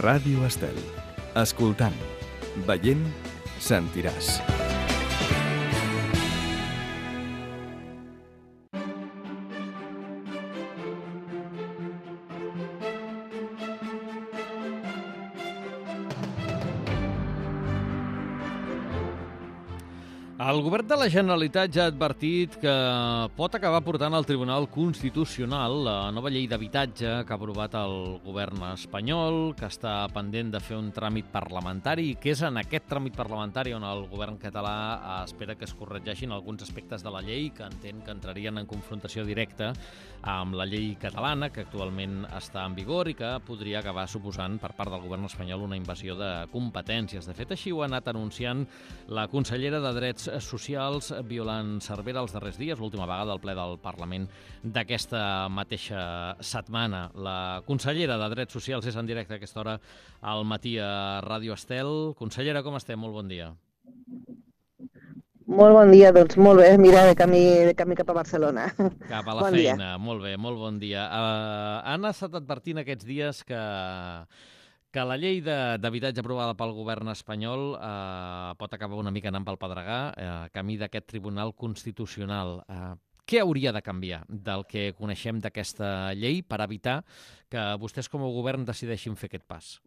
Ràdio Estel. Escoltant, veient, sentiràs. El govern de la Generalitat ja ha advertit que pot acabar portant al Tribunal Constitucional la nova llei d'habitatge que ha aprovat el govern espanyol, que està pendent de fer un tràmit parlamentari i que és en aquest tràmit parlamentari on el govern català espera que es corregeixin alguns aspectes de la llei que entén que entrarien en confrontació directa amb la llei catalana, que actualment està en vigor i que podria acabar suposant per part del govern espanyol una invasió de competències. De fet, així ho ha anat anunciant la consellera de Drets Socials, Violant Cervera, els darrers dies, l'última vegada al ple del Parlament d'aquesta mateixa setmana. La consellera de Drets Socials és en directe a aquesta hora al matí a Ràdio Estel. Consellera, com estem? Molt bon dia. Molt bon dia, doncs molt bé, mira, de camí cap a Barcelona. Cap a la feina, molt bé, molt bon dia. Han estat advertint aquests dies que la llei d'habitatge aprovada pel govern espanyol pot acabar una mica anant pel pedregar, camí d'aquest Tribunal Constitucional. Què hauria de canviar del que coneixem d'aquesta llei per evitar que vostès com a govern decideixin fer aquest pas?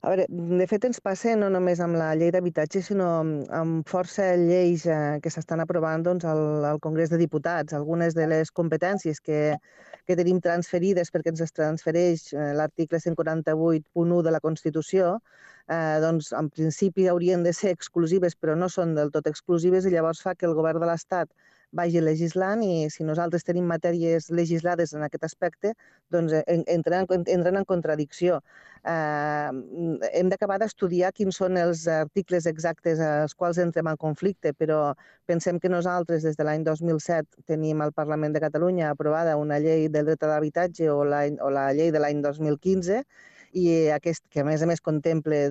A veure, de fet ens passa no només amb la llei d'habitatge, sinó amb força lleis que s'estan aprovant al Congrés de Diputats. Algunes de les competències que tenim transferides perquè ens es transfereix l'article 148.1 de la Constitució, doncs en principi haurien de ser exclusives, però no són del tot exclusives i llavors fa que el govern de l'Estat vagi legislant i si nosaltres tenim matèries legislades en aquest aspecte, doncs entren en contradicció. Hem d'acabar d'estudiar quins són els articles exactes als quals entrem en conflicte, però pensem que nosaltres des de l'any 2007 tenim al Parlament de Catalunya aprovada una llei del dret a l'habitatge o la llei de l'any 2015 i que a més contempla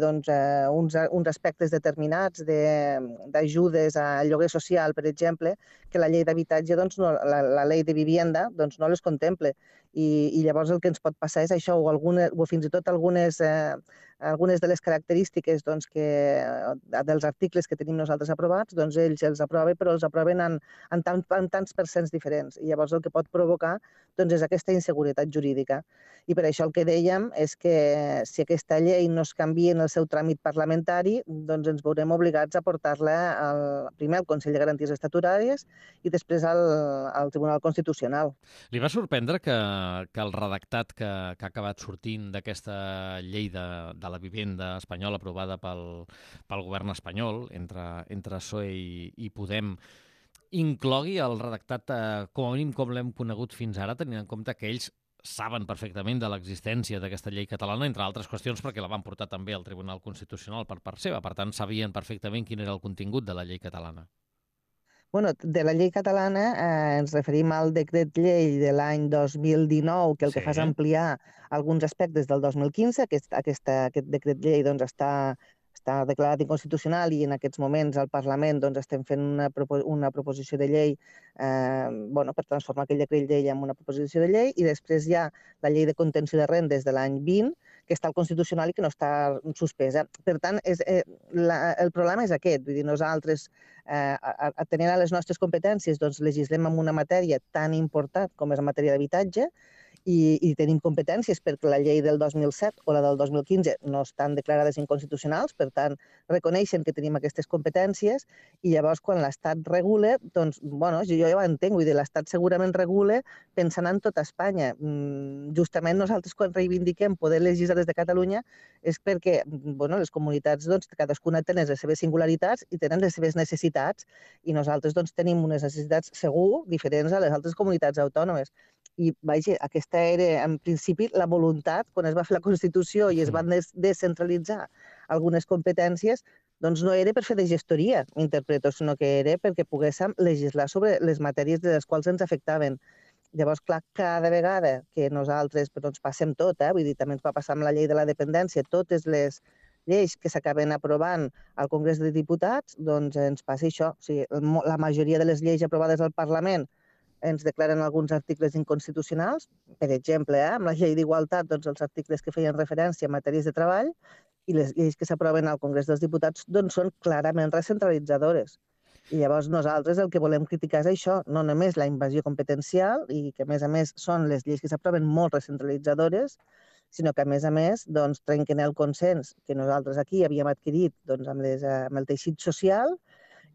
uns aspectes determinats d'ajudes al lloguer social, per exemple, que la llei d'habitatge, la llei de vivienda, no les contempla. I llavors el que ens pot passar és això, o fins i tot algunes de les característiques dels articles que tenim nosaltres aprovats, ells els aproven, però els aproven en tants percents diferents. I llavors el que pot provocar és aquesta inseguretat jurídica. I per això el que dèiem és que si aquesta llei no es canvia en el seu tràmit parlamentari, doncs ens veurem obligats a portar-la primer al Consell de Garanties Estatutàries i després al Tribunal Constitucional. Li va sorprendre que el redactat que ha acabat sortint d'aquesta llei de la vivenda espanyola aprovada pel govern espanyol, entre PSOE i Podem, inclogui el redactat com a mínim com l'hem conegut fins ara, tenint en compte que ells saben perfectament de l'existència d'aquesta llei catalana, entre altres qüestions perquè la van portar també al Tribunal Constitucional per part seva. Per tant, sabien perfectament quin era el contingut de la llei catalana. Bueno, de la llei catalana ens referim al decret llei de l'any 2019, que el que fa és ampliar alguns aspectes del 2015. Aquest decret llei està declarat inconstitucional i en aquests moments al Parlament estem fent una proposició de llei per transformar aquell decret llei en una proposició de llei i després hi ha la llei de contenció de rendes de l'any 20 que està al Constitucional i que no està suspesa. Per tant, el problema és aquest. Vull dir, nosaltres, atenent a les nostres competències, legislem en una matèria tan important com és la matèria d'habitatge i tenim competències perquè la llei del 2007 o la del 2015 no estan declarades inconstitucionals, per tant, reconeixen que tenim aquestes competències i llavors quan l'Estat regula, jo ja ho entenc, vull dir, l'Estat segurament regula pensant en tota Espanya. Justament nosaltres quan reivindiquem poder legislar des de Catalunya és perquè les comunitats cadascuna tenen les seves singularitats i tenen les seves necessitats i nosaltres tenim unes necessitats segur diferents a les altres comunitats autònomes. I, vaja, aquesta era, en principi, la voluntat, quan es va fer la Constitució i es van descentralitzar algunes competències, no era per fer de gestoria, interpreto, sinó que era perquè poguéssim legislar sobre les matèries de les quals ens afectaven. Llavors, clar, cada vegada que nosaltres passem tot, vull dir, també ens va passar amb la llei de la dependència, totes les lleis que s'acaben aprovant al Congrés de Diputats, ens passa això. O sigui, la majoria de les lleis aprovades al Parlament ens declaren alguns articles inconstitucionals, per exemple, amb la llei d'igualtat, doncs els articles que feien referència a matèries de treball i les lleis que s'aproven al Congrés dels Diputats doncs són clarament recentralitzadores. I llavors nosaltres el que volem criticar és això, no només la invasió competencial i que a més són les lleis que s'aproven molt recentralitzadores, sinó que a més doncs, trenquen el consens que nosaltres aquí havíem adquirit doncs, amb el teixit social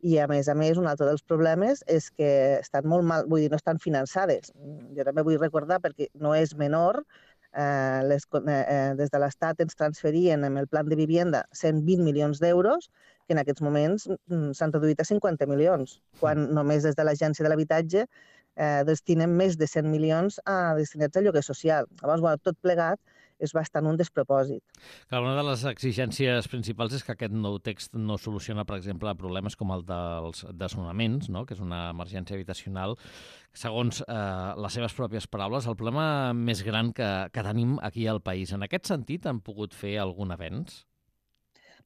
i a més, un altre dels problemes és que estan molt mal, vull dir, no estan finançades. Jo també vull recordar, perquè no és menor, des de l'Estat ens transferien en el Plan de Vivienda 120 milions d'euros, que en aquests moments s'han reduït a 50 milions, quan només des de l'Agència de l'Habitatge destinem més de 100 milions destinats a lloguer social. Llavors, tot plegat és bastant un despropòsit. Clar, una de les exigències principals és que aquest nou text no soluciona, per exemple, problemes com el dels desnonaments, no? Que és una emergència habitacional. Segons les seves pròpies paraules, el problema més gran que tenim aquí al país. En aquest sentit, han pogut fer algun avenç?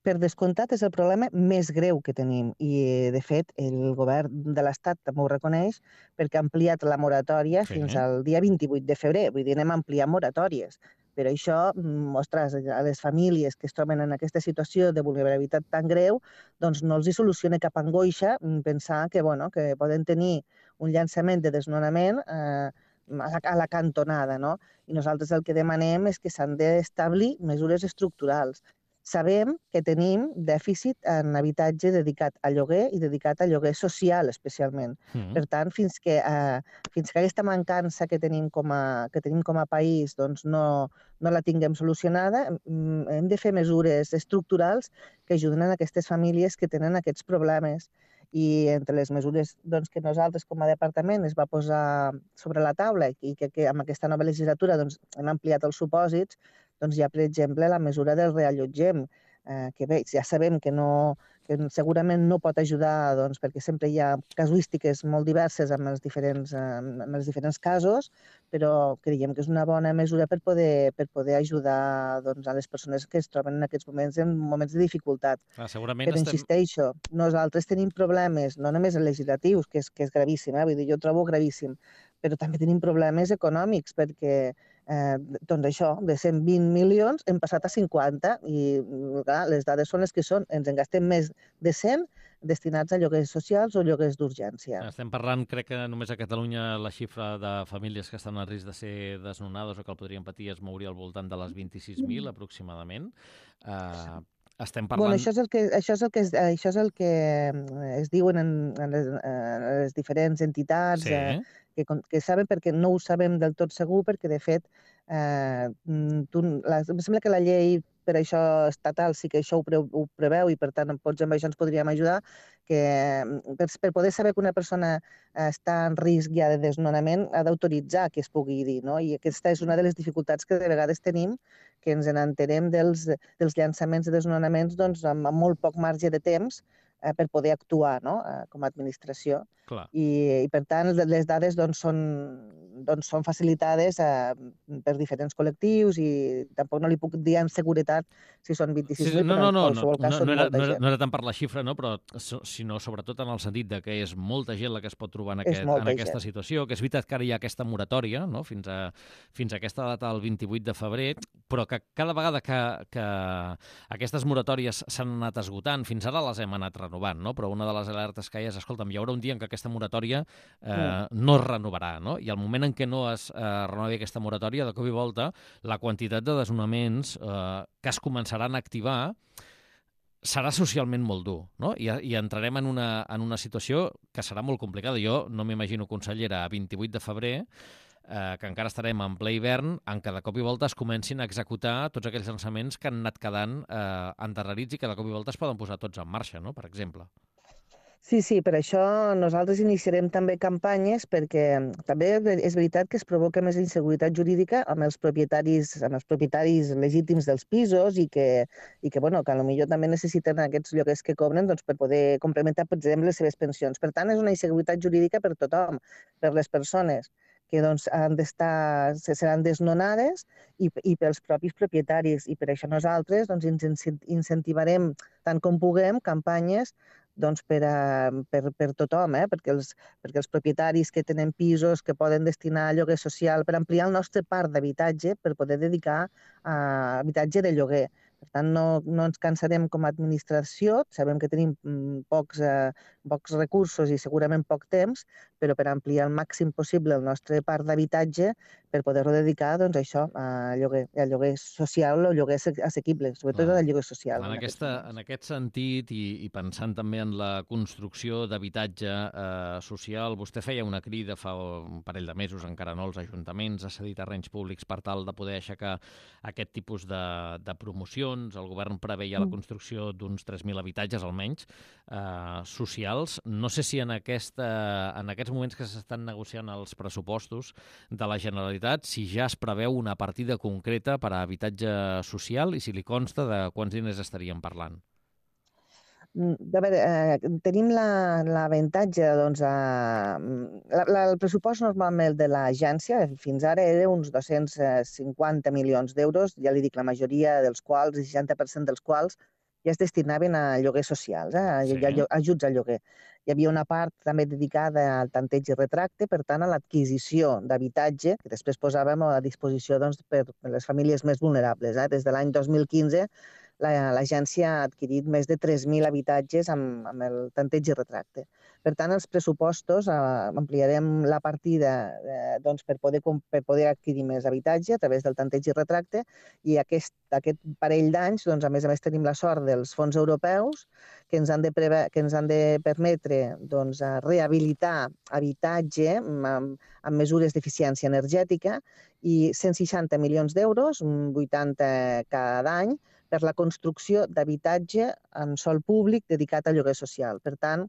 Per descomptat, és el problema més greu que tenim i, de fet, el govern de l'Estat també ho reconeix perquè ha ampliat la moratòria fins al dia 28 de febrer. Vull dir, anem a ampliar moratòries. Però això, ostres, a les famílies que es troben en aquesta situació de vulnerabilitat tan greu, doncs no els hi soluciona cap angoixa pensar que poden tenir un llançament de desnonament a la cantonada, no? I nosaltres el que demanem és que s'han d'establir mesures estructurals. Sabem que tenim dèficit en habitatge dedicat a lloguer i dedicat a lloguer social, especialment. Per tant, fins que aquesta mancança que tenim com a país doncs no la tinguem solucionada, hem de fer mesures estructurals que ajuden a aquestes famílies que tenen aquests problemes. I entre les mesures que nosaltres com a departament es va posar sobre la taula i que amb aquesta nova legislatura hem ampliat els supòsits, doncs hi ha, per exemple, la mesura del reallotgem, que bé, ja sabem que segurament no pot ajudar perquè sempre hi ha casuístiques molt diverses amb els diferents casos, però creiem que és una bona mesura per poder ajudar a les persones que es troben en aquests moments en moments de dificultat. Però insisteixo, nosaltres tenim problemes, no només legislatius, que és gravíssim, vull dir, jo ho trobo gravíssim, però també tenim problemes econòmics, perquè doncs això, de 120 milions hem passat a 50 i clar, les dades són les que són. Ens en gastem més de 100 destinats a lloguers socials o lloguers d'urgència. Estem parlant, crec que només a Catalunya la xifra de famílies que estan a risc de ser desnonades o que el podrien patir es mouria al voltant de les 26.000 aproximadament. Estem parlant... Això és el que es diuen en les diferents entitats que saben, perquè no ho sabem del tot segur, perquè de fet em sembla que la llei per això estatal sí que això ho preveu i per tant potser amb això ens podríem ajudar, que per poder saber que una persona està en risc ja de desnonament ha d'autoritzar que es pugui dir, no? I aquesta és una de les dificultats que de vegades tenim, que ens n'entenem dels llançaments de desnonaments amb molt poc marge de temps per poder actuar com a administració. I per tant les dades són facilitades per diferents col·lectius i tampoc no li puc dir amb seguretat si són 26.000, però en qualsevol cas són molta gent. No era tant per la xifra, però sinó sobretot en el sentit que és molta gent la que es pot trobar en aquesta situació, que és veritat que ara hi ha aquesta moratòria fins a aquesta data, el 28 de febrer, però que cada vegada que aquestes moratòries s'han anat esgotant, fins ara les hem anat renovant, però una de les alertes que hi ha és, escolta'm, hi haurà un dia en què aquesta moratòria no es renovarà, i al moment en què no es renovi aquesta moratòria, de cop i volta, la quantitat de desnonaments que es començaran a activar serà socialment molt dur, I entrarem en una situació que serà molt complicada. Jo no m'imagino, consellera, a 28 de febrer, que encara estarem en ple hivern, en què de cop i volta es comencin a executar tots aquells llançaments que han anat quedant endarrerits i que de cop i volta es poden posar tots en marxa, per exemple. Sí, per això nosaltres iniciarem també campanyes, perquè també és veritat que es provoca més inseguretat jurídica amb els propietaris legítims dels pisos i que potser també necessiten aquests lloguers que cobren per poder complementar, per exemple, les seves pensions. Per tant, és una inseguretat jurídica per tothom, per les persones que seran desnonades i pels propis propietaris. I per això nosaltres incentivarem tant com puguem campanyes per tothom, perquè els propietaris que tenen pisos que poden destinar a lloguer social, per ampliar el nostre parc d'habitatge, per poder dedicar a habitatge de lloguer. Per tant, no ens cansarem com a administració, sabem que tenim pocs recursos i segurament poc temps, però per ampliar al màxim possible el nostre parc d'habitatge per poder-lo dedicar doncs, a això, a lloguer social o lloguer assequible, sobretot al lloguer social. En aquest sentit, i pensant també en la construcció d'habitatge social, vostè feia una crida fa un parell de mesos, encara no, als ajuntaments, a cedir terrenys públics per tal de poder aixecar aquest tipus de promocions. El govern preveia la construcció d'uns 3.000 habitatges, almenys, socials. No sé si en aquests moments que s'estan negociant els pressupostos de la Generalitat, si ja es preveu una partida concreta per a habitatge social i si li consta de quants diners estaríem parlant. A veure, tenim l'avantatge, doncs, el pressupost normalment de l'agència fins ara era uns 250 milions d'euros, ja li dic, la majoria dels quals, el 60% dels quals, ja es destinaven a lloguers socials, ajuts al lloguer. Hi havia una part també dedicada al tanteig i retracte, per tant, a l'adquisició d'habitatge, que després posàvem a disposició per les famílies més vulnerables. Des de l'any 2015, l'agència ha adquirit més de 3.000 habitatges amb el tanteig i retracte. Per tant, els pressupostos ampliarem la partida per poder adquirir més habitatge a través del tanteig i retracte, i aquest parell d'anys, a més a més, tenim la sort dels fons europeus que ens han de permetre rehabilitar habitatge amb mesures d'eficiència energètica, i 160 milions d'euros, 80 cada any, per la construcció d'habitatge en sòl públic dedicat a lloguer social. Per tant,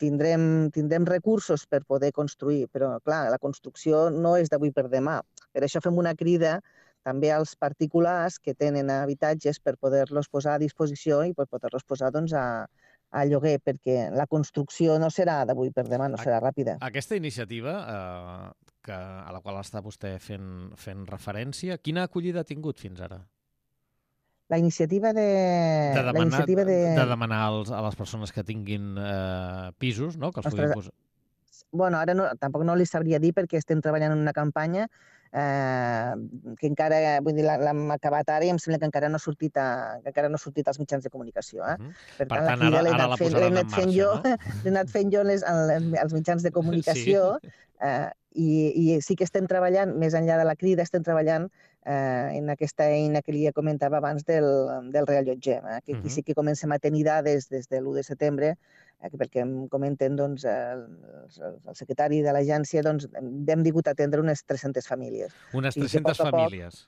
tindrem recursos per poder construir, però, clar, la construcció no és d'avui per demà. Per això fem una crida també als particulars que tenen habitatges per poder-los posar a disposició i per poder-los posar a lloguer, perquè la construcció no serà d'avui per demà, no serà ràpida. Aquesta iniciativa a la qual està vostè fent referència, quina acollida ha tingut fins ara? La iniciativa de demanar a les persones que tinguin pisos, no?, que els puguin posar. Bueno, ara tampoc no li sabria dir, perquè estem treballant en una campanya que encara, vull dir, l'hem acabat ara i em sembla que encara no ha sortit als mitjans de comunicació. Per tant, ara la posaran en marxa, no? L'he anat fent jo als mitjans de comunicació, i sí que estem treballant, més enllà de la crida, estem treballant en aquesta eina que li comentava abans del reallotgem, que aquí sí que comencem a tenir dades des de l'1 de setembre, perquè em comenten el secretari de l'agència, hem vingut a atendre unes 300 famílies. Unes 300 famílies?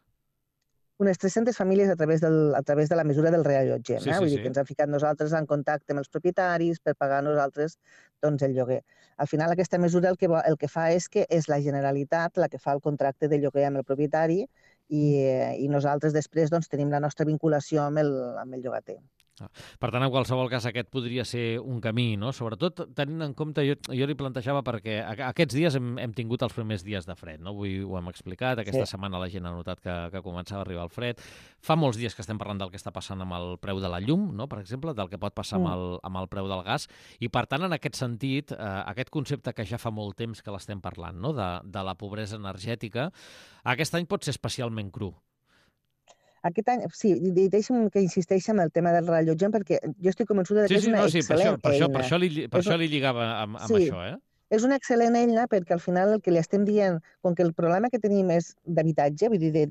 Unes 300 famílies a través de la mesura del reallotgem. Vull dir que ens hem ficat nosaltres en contacte amb els propietaris per pagar nosaltres el lloguer. Al final, aquesta mesura el que fa és que és la Generalitat la que fa el contracte de lloguer amb el propietari, i nosaltres després tenim la nostra vinculació amb el llogater. Per tant, en qualsevol cas, aquest podria ser un camí, no? Sobretot tenint en compte, jo li plantejava, perquè aquests dies hem tingut els primers dies de fred, no? Avui ho hem explicat, aquesta setmana la gent ha notat que començava a arribar el fred. Fa molts dies que estem parlant del que està passant amb el preu de la llum, no?, per exemple, del que pot passar amb el preu del gas, i per tant, en aquest sentit, aquest concepte que ja fa molt temps que l'estem parlant, no?, de la pobresa energètica, aquest any pot ser especialment cru. Aquest any, sí, deixa'm que insisteixi en el tema del reallotgem, perquè jo estic convençuda que és una excel·lent eina. Per això li lligava amb això, eh? És una excel·lent eina, perquè al final el que li estem dient, com que el problema que tenim és d'habitatge, vull dir,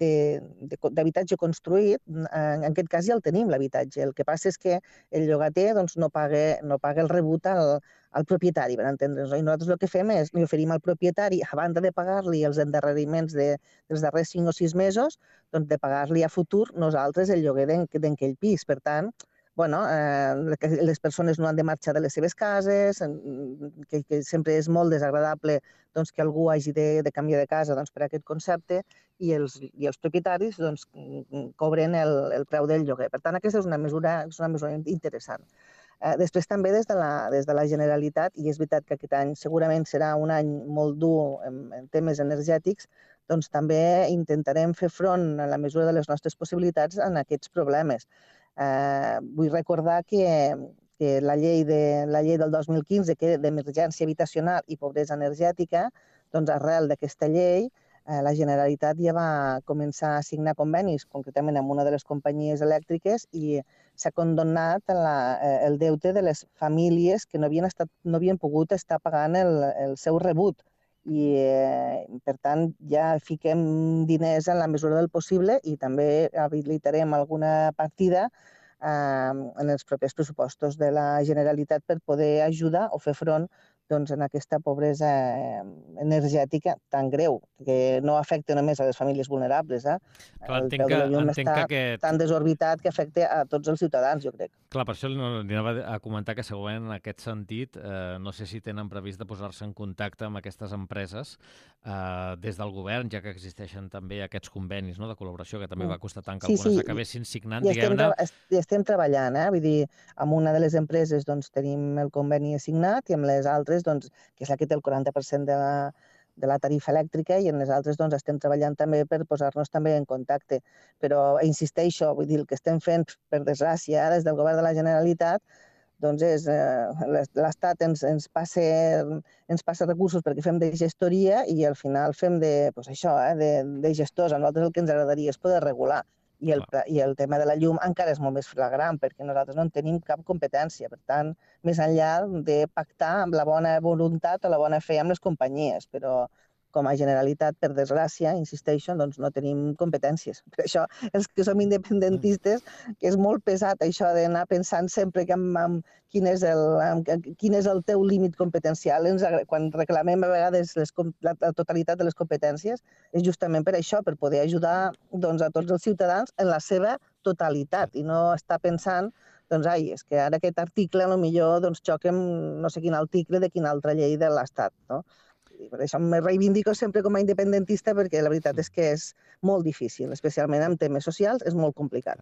d'habitatge construït, en aquest cas ja el tenim, l'habitatge. El que passa és que el llogater no paga el rebut al propietari, per entendre'ns. I nosaltres el que fem és, li oferim al propietari, a banda de pagar-li els endarreriments dels darrers 5 o 6 mesos, de pagar-li a futur nosaltres el lloguer d'aquell pis. Per tant, les persones no han de marxar de les seves cases, que sempre és molt desagradable que algú hagi de canviar de casa per aquest concepte, i els propietaris cobren el preu del lloguer. Per tant, aquesta és una mesura interessant. Després també des de la Generalitat, i és veritat que aquest any segurament serà un any molt dur en temes energètics, també intentarem fer front a la mesura de les nostres possibilitats en aquests problemes. Vull recordar que que la llei del 2015, que era d'emergència habitacional i pobresa energètica, doncs arrel d'aquesta llei la Generalitat ja va començar a signar convenis, concretament amb una de les companyies elèctriques, i s'ha condonat el deute de les famílies que no havien pogut estar pagant el seu rebut. I, per tant, ja fiquem diners en la mesura del possible i també habilitarem alguna partida en els propers pressupostos de la Generalitat per poder ajudar o fer front en aquesta pobresa energètica tan greu, que no afecta només a les famílies vulnerables. Clar, el preu de la llum està tan desorbitat que afecta a tots els ciutadans, jo crec. Clar, per això li anava a comentar que segurament en aquest sentit, no sé si tenen previst de posar-se en contacte amb aquestes empreses des del govern, ja que existeixen també aquests convenis de col·laboració, que també va costar tant que algunes acabessin signant, diguem-ne. I estem treballant, vull dir, amb una de les empreses tenim el conveni assignat i amb les altres, que és la que té el 40% de la tarifa elèctrica, i en les altres estem treballant també per posar-nos també en contacte. Però insisteixo, vull dir, el que estem fent, per desgràcia, des del govern de la Generalitat, és l'Estat ens passa recursos perquè fem de gestoria i al final fem de gestors. A nosaltres el que ens agradaria és poder regular. I el tema de la llum encara és molt més flagrant perquè nosaltres no en tenim cap competència. Per tant, més enllà de pactar amb la bona voluntat o la bona fe amb les companyies, però com a Generalitat, per desgràcia, insisteixo, no tenim competències. Per això, els que som independentistes, que és molt pesat això d'anar pensant sempre quin és el teu límit competencial. Quan reclamem a vegades la totalitat de les competències, és justament per això, per poder ajudar a tots els ciutadans en la seva totalitat i no estar pensant és que ara aquest article potser xoca amb no sé quin article de quina altra llei de l'Estat, no? Per això me reivindico sempre com a independentista perquè la veritat és que és molt difícil, especialment en temes socials, és molt complicat.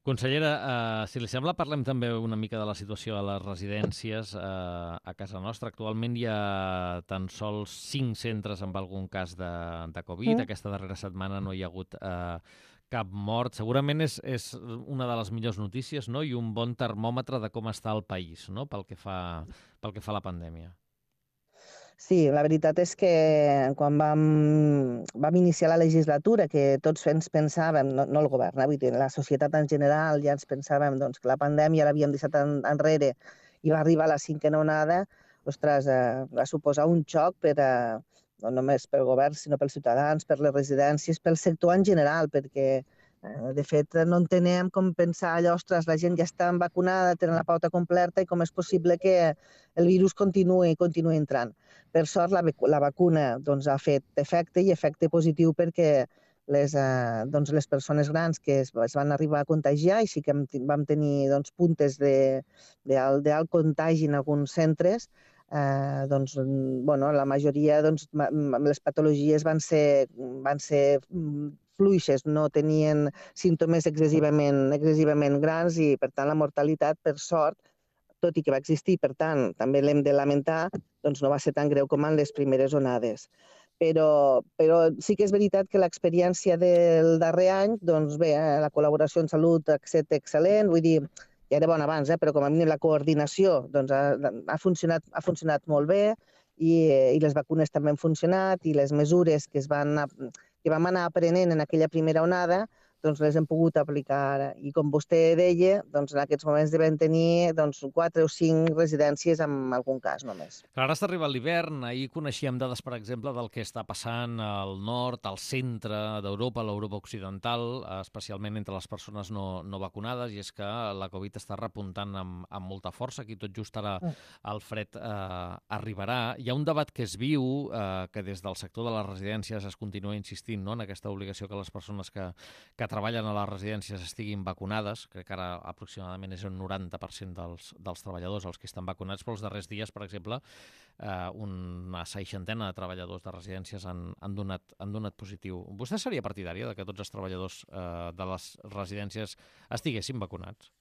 Consellera, si li sembla, parlem també una mica de la situació a les residències a casa nostra. Actualment hi ha tan sols 5 centres amb algun cas de Covid. Aquesta darrera setmana no hi ha hagut cap mort. Segurament és una de les millors notícies, no? I un bon termòmetre de com està el país, no? pel que fa a la pandèmia. Sí, la veritat és que quan vam iniciar la legislatura, que tots ens pensàvem, no el govern, vull dir, la societat en general ja ens pensàvem que la pandèmia l'havíem deixat enrere i va arribar la 5ª onada, ostres, va suposar un xoc no només pel govern, sinó pels ciutadans, per les residències, pel sector en general, perquè de fet no entenem com pensar allò, ostres, la gent ja està vacunada, tenen la pauta completa i com és possible que el virus continuï entrant. Per sort, la vacuna ha fet efecte i efecte positiu perquè les persones grans que es van arribar a contagiar i sí que vam tenir puntes d'alt contagi en alguns centres, la majoria les patologies van ser fluixes, no tenien símptomes excessivament grans i, per tant, la mortalitat, per sort, tot i que va existir, per tant, també l'hem de lamentar, no va ser tan greu com en les primeres onades. Però sí que és veritat que l'experiència del darrer any, la col·laboració en salut ha estat excel·lent, vull dir, ja era bona abans, però com a mínim la coordinació ha funcionat molt bé i les vacunes també han funcionat i les mesures que vam anar aprenent en aquella primera onada les hem pogut aplicar ara. I com vostè deia, en aquests moments devem tenir 4 o 5 residències en algun cas només. Ara està arribant l'hivern. Ahir coneixíem dades, per exemple, del que està passant al nord, al centre d'Europa, a l'Europa occidental, especialment entre les persones no vacunades, i és que la Covid està repuntant amb molta força. Aquí tot just ara el fred arribarà. Hi ha un debat que es viu, que des del sector de les residències es continua insistint en aquesta obligació que les persones que treballen a les residències estiguin vacunades. Crec que ara aproximadament és un 90% dels treballadors els que estan vacunats, però els darrers dies, per exemple, una 60ena de treballadors de residències han donat positiu. Vostè seria partidària de que tots els treballadors de les residències estiguessin vacunats?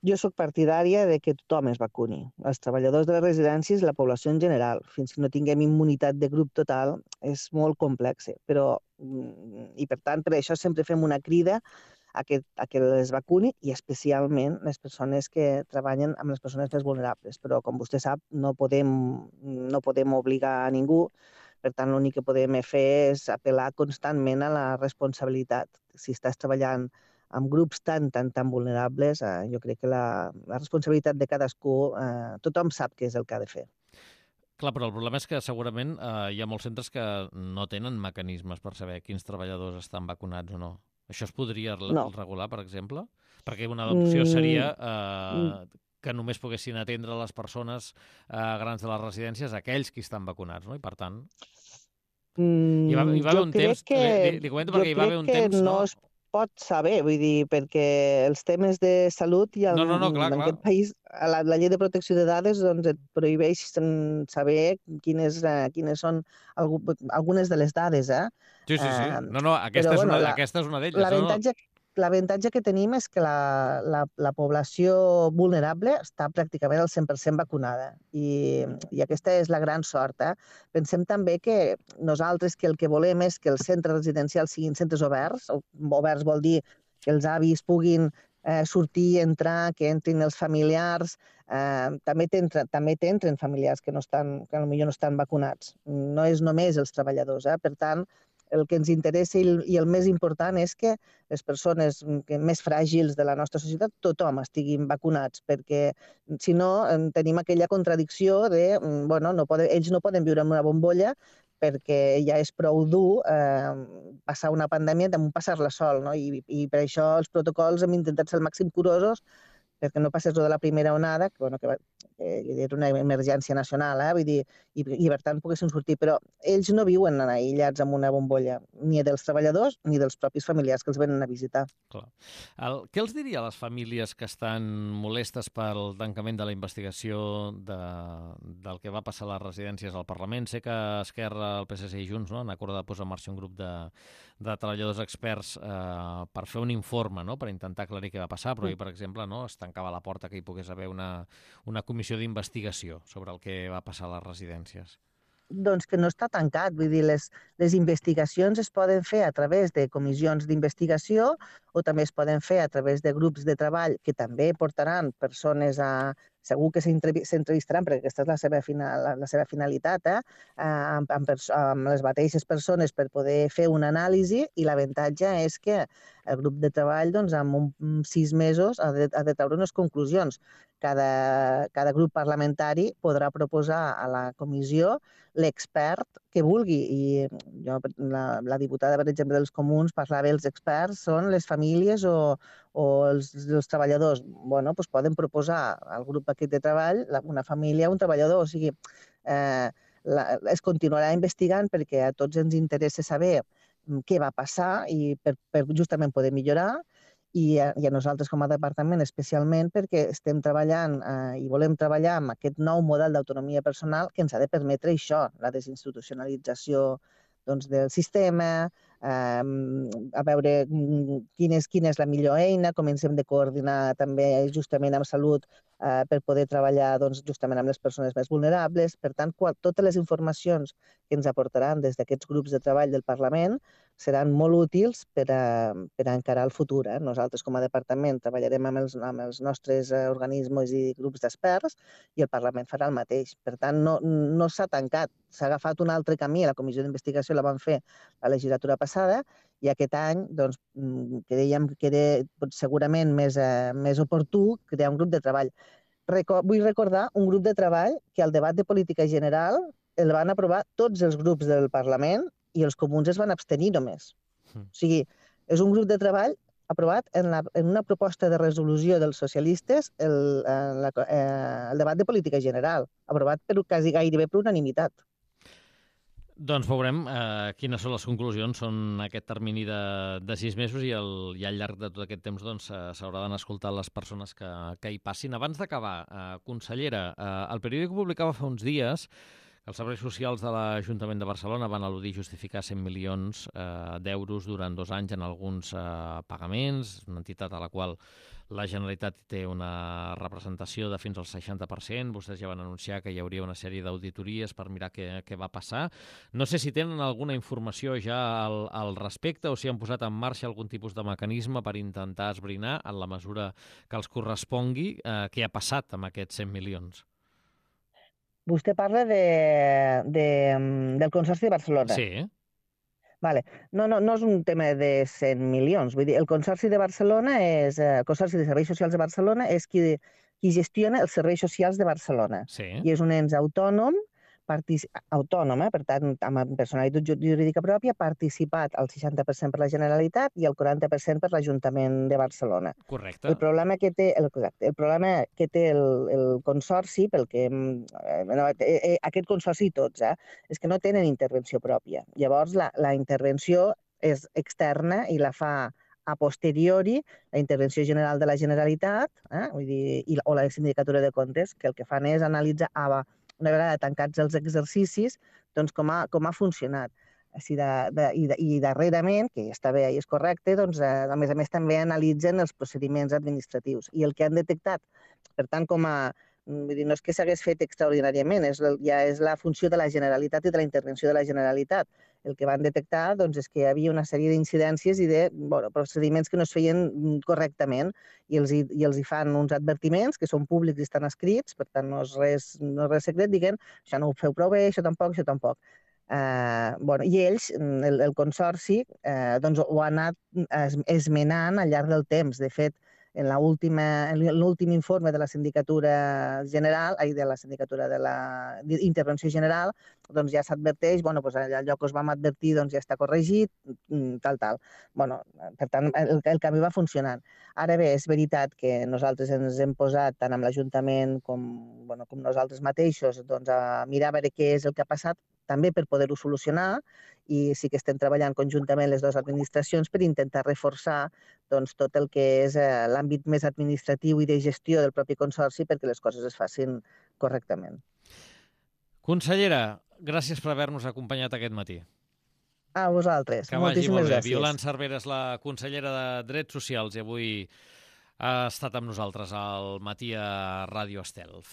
Jo sóc partidària de que tothom es vacuni. Els treballadors de les residències i la població en general. Fins que no tinguem immunitat de grup total és molt complex, i per tant per això sempre fem una crida a que les vacuni, i especialment les persones que treballen amb les persones més vulnerables. Però, com vostè sap, no podem obligar a ningú. Per tant, l'únic que podem fer és apel·lar constantment a la responsabilitat. Si estàs treballant amb grups tan vulnerables, jo crec que la responsabilitat de cadascú, tothom sap què és el que ha de fer. Clar, però el problema és que segurament hi ha molts centres que no tenen mecanismes per saber quins treballadors estan vacunats o no. Això es podria regular, per exemple? Perquè una opció seria que només poguessin atendre les persones grans de les residències aquells que estan vacunats, no? I per tant... Hi va haver un temps... Li comento perquè hi va haver un temps... No es pot saber, vull dir, perquè els temes de salut i clar. En aquest país, la llei de protecció de dades doncs, et prohibeix saber quines són algunes de les dades. Sí. No, aquesta és una d'elles. L'avantatge que tenim és que la població vulnerable està pràcticament al 100% vacunada i aquesta és la gran sort. Pensem també que nosaltres el que volem és que els centres residencials siguin centres oberts. Oberts vol dir que els avis puguin sortir, entrar, que entrin els familiars. També t'entren familiars que potser no estan vacunats. No és només els treballadors. Per tant, el que ens interessa i el més important és que les persones més fràgils de la nostra societat, tothom estiguin vacunats, perquè si no tenim aquella contradicció de, ells no poden viure en una bombolla perquè ja és prou dur passar una pandèmia damunt passar-la sol, no? I per això els protocols hem intentat ser el màxim curosos perquè no passés de la primera onada, que era una emergència nacional, vull dir, i per tant poguessin sortir. Però ells no viuen aïllats en una bombolla, ni dels treballadors ni dels propis familiars que els venen a visitar. Clar. Què els diria a les famílies que estan molestes pel tancament de la investigació del que va passar a les residències al Parlament? Sé que Esquerra, el PSC i Junts han acordat posar en marxa un grup de treballadors experts per fer un informe, per intentar aclarir què va passar, però ahir, per exemple, es tancava la porta que hi pogués haver una comissió d'investigació sobre el que va passar a les residències. Doncs que no està tancat. Vull dir, les investigacions es poden fer a través de comissions d'investigació o també es poden fer a través de grups de treball que també portaran persones segur que s'entrevistaran, perquè aquesta és la seva finalitat, amb les mateixes persones per poder fer una anàlisi, i l'avantatge és que el grup de treball, en 6 mesos, ha de treure unes conclusions. Cada grup parlamentari podrà proposar a la comissió l'expert que vulgui. I la diputada, per exemple, dels Comuns parlava dels experts, són les famílies o els treballadors. Doncs poden proposar al grup aquest de treball una família o un treballador. O sigui, es continuarà investigant perquè a tots ens interessa saber què va passar i per justament poder millorar. I a nosaltres com a departament especialment perquè estem treballant i volem treballar amb aquest nou model d'autonomia personal que ens ha de permetre això, la desinstitucionalització del sistema, a veure quina és la millor eina, com ens hem de coordinar també justament amb salut per poder treballar justament amb les persones més vulnerables. Per tant, totes les informacions que ens aportaran des d'aquests grups de treball del Parlament seran molt útils per encarar el futur. Nosaltres, com a departament, treballarem amb els nostres organismes i grups d'experts i el Parlament farà el mateix. Per tant, no s'ha tancat. S'ha agafat un altre camí. La comissió d'investigació la van fer la legislatura passada i aquest any creiem que era segurament més oportú crear un grup de treball. Vull recordar un grup de treball que al debat de política general el van aprovar tots els grups del Parlament i els comuns es van abstenir només. O sigui, és un grup de treball aprovat en una proposta de resolució dels socialistes el debat de política general, aprovat gairebé per unanimitat. Doncs veurem quines són les conclusions. Són aquest termini de 6 mesos i al llarg de tot aquest temps s'hauran escoltat les persones que hi passin. Abans d'acabar, consellera, el periòdic publicava fa uns dies Els serveis socials de l'Ajuntament de Barcelona van al·ludir justificar 100 milions d'euros durant 2 anys en alguns pagaments, una entitat a la qual la Generalitat té una representació de fins al 60%. Vostès ja van anunciar que hi hauria una sèrie d'auditories per mirar què va passar. No sé si tenen alguna informació ja al respecte o si han posat en marxa algun tipus de mecanisme per intentar esbrinar, en la mesura que els correspongui, què ha passat amb aquests 100 milions. Vostè parla del Consorci de Barcelona. Sí. Vale. No és un tema de 100 milions. Vull dir, el Consorci de Barcelona el Consorci de Serveis Socials de Barcelona és qui gestiona els serveis socials de Barcelona. Sí. I és un ens autònom, per tant, amb personalitat jurídica pròpia, participat al 60% per la Generalitat i el 40% per l'Ajuntament de Barcelona. Correcte. El problema que té el Consorci, aquest Consorci i tots, és que no tenen intervenció pròpia. Llavors, la intervenció és externa i la fa a posteriori la intervenció general de la Generalitat, vull dir, o la Sindicatura de Comptes, que el que fan és analitzar una vegada tancats els exercicis, doncs com ha funcionat. I darrerament, que està bé i és correcte, doncs, a més també analitzen els procediments administratius. I el que han detectat, per tant, vull dir, no és que s'hagués fet extraordinàriament, ja és la funció de la Generalitat i de la intervenció de la Generalitat. El que van detectar doncs, és que hi havia una sèrie d'incidències i de procediments que no es feien correctament i els hi fan uns advertiments que són públics i estan escrits, per tant no és res secret, diguem, això no ho feu prou bé, això tampoc. I ells, el Consorci, doncs, ho ha anat esmenant al llarg del temps. De fet, en l'últim informe de la Sindicatura General, de la Sindicatura de la Intervenció General, doncs ja s'adverteix, allò que us vam advertir ja està corregit, tal. Per tant, el canvi va funcionant. Ara bé, és veritat que nosaltres ens hem posat, tant amb l'Ajuntament com nosaltres mateixos, a mirar a veure què és el que ha passat, també per poder-ho solucionar, i sí que estem treballant conjuntament les dues administracions per intentar reforçar tot el que és l'àmbit més administratiu i de gestió del propi Consorci perquè les coses es facin correctament. Consellera, gràcies per haver-nos acompanyat aquest matí. A vosaltres. Que vagi molt bé. Gràcies. Violant Cervera és la consellera de Drets Socials i avui ha estat amb nosaltres al matí a Ràdio Estel.